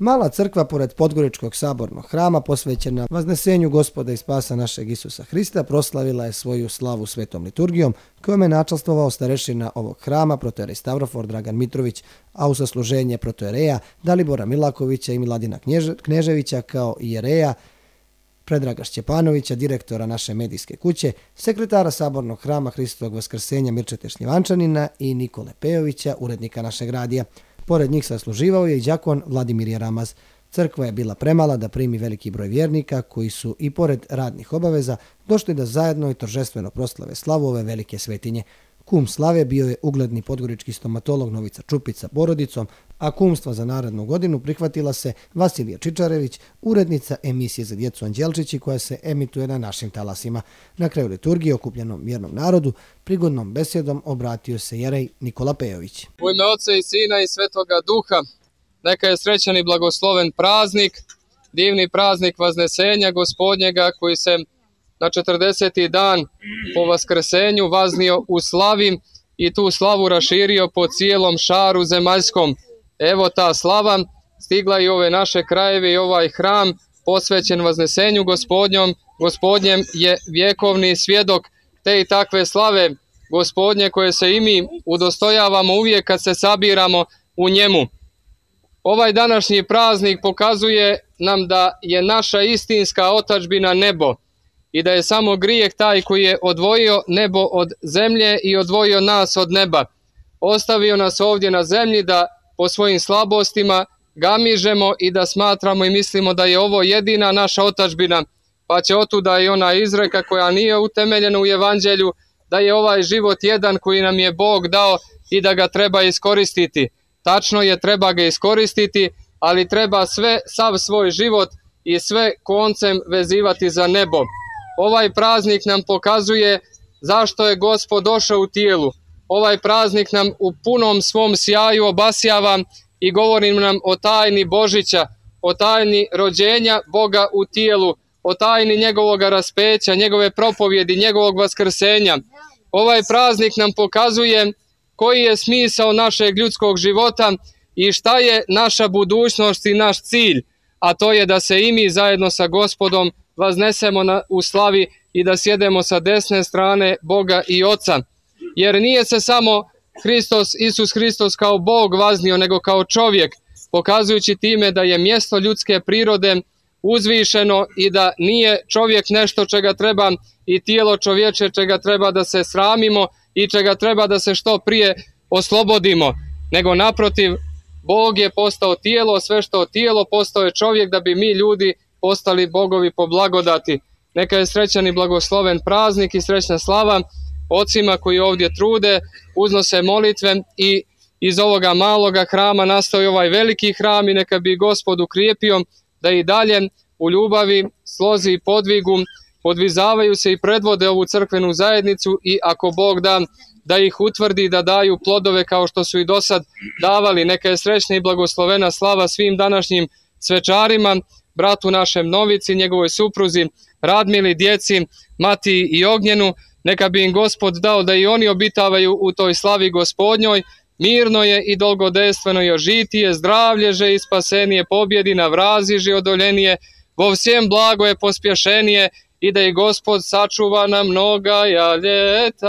Mala crkva pored Podgoričkog sabornog hrama posvećena Vaznesenju Gospoda i spasa našeg Isusa Hrista proslavila je svoju slavu svetom liturgijom kojom je načastvovao starešina ovog hrama protojerej Stavrofor Dragan Mitrović, a u sasluženje protojereja Dalibora Milakovića i Miladina Kneževića kao i jereja Predraga Šćepanovića, direktora naše medijske kuće, sekretara sabornog hrama Hristovog Vaskrsenja Mirčete Šljivančanina i Nikole Pejovića, urednika našeg radija. Pored njih sasluživao je i đakon Vladimir Jeramaz. Crkva je bila premala da primi veliki broj vjernika koji su i pored radnih obaveza došli da zajedno i торжествено proslave slavu ove velike svetinje. Kum slave bio je ugledni podgorički stomatolog Novica Čupić sa porodicom, a kumstva za narednu godinu prihvatila se Vasilija Čičarević, urednica emisije za djecu Anđelčići koja se emituje na našim talasima. Na kraju liturgije okupljenom vjernom narodu prigodnom besjedom obratio se jerej Nikola Pejović. U ime Oca i Sina i Svetoga Duha, neka je srećan i blagosloven praznik, divni praznik Vaznesenja Gospodnjega koji se na 40. dan po Vaskrsenju vaznio u slavi i tu slavu raširio po cijelom šaru zemaljskom. Evo ta slava stigla i ove naše krajeve i ovaj hram posvećen Vaznesenju Gospodnjem je vjekovni svjedok te i takve slave Gospodnje koje se i mi udostojavamo uvijek kad se sabiramo u njemu. Ovaj današnji praznik pokazuje nam da je naša istinska otadžbina nebo i da je samo grijeh taj koji je odvojio nebo od zemlje i odvojio nas od neba. Ostavio nas ovdje na zemlji da po svojim slabostima gamižemo i da smatramo i mislimo da je ovo jedina naša otadžbina, pa će otuda i ona izreka koja nije utemeljena u evanđelju, da je ovaj život jedan koji nam je Bog dao i da ga treba iskoristiti. Tačno je, treba ga iskoristiti, ali treba sav svoj život i sve koncem vezivati za nebo. Ovaj praznik nam pokazuje zašto je Gospod došao u tijelu. Ovaj praznik nam u punom svom sjaju obasjava i govori nam o tajni Božića, o tajni rođenja Boga u tijelu, o tajni njegovog raspeća, njegove propovjedi, njegovog vaskrsenja. Ovaj praznik nam pokazuje koji je smisao našeg ljudskog života i šta je naša budućnost i naš cilj, a to je da se i mi zajedno sa Gospodom vaznesemo u slavi i da sjedemo sa desne strane Boga i Oca. Jer nije se samo Isus Hristos kao Bog vaznio, nego kao čovjek, pokazujući time da je mjesto ljudske prirode uzvišeno i da nije čovjek nešto čega treba i tijelo čovječe čega treba da se sramimo i čega treba da se što prije oslobodimo, nego naprotiv, Bog je postao tijelo, sve što tijelo postao je čovjek da bi mi ljudi postali bogovi po blagodati. Neka je srećan i blagosloven praznik i srećna slava ocima koji ovdje trude, uznose molitve i iz ovoga maloga hrama nastao ovaj veliki hram i neka bi Gospod ukrijepio da i dalje u ljubavi, slozi i podvigu podvizavaju se i predvode ovu crkvenu zajednicu i ako Bog da ih utvrdi da daju plodove kao što su i do sad davali. Neka je srećna i blagoslovena slava svim današnjim svečarima, bratu našem Novici, njegovoj supruzi Radmili, djeci Matiji i Ognjenu. Neka bi im Gospod dao da i oni obitavaju u toj slavi Gospodnjoj. Mirno je i dolgodejstveno je žitije, zdravlježe i spasenije, pobjedi na vraziži odoljenije, vo всем blago je pospješenije i da i Gospod sačuva na mnoga ljeta.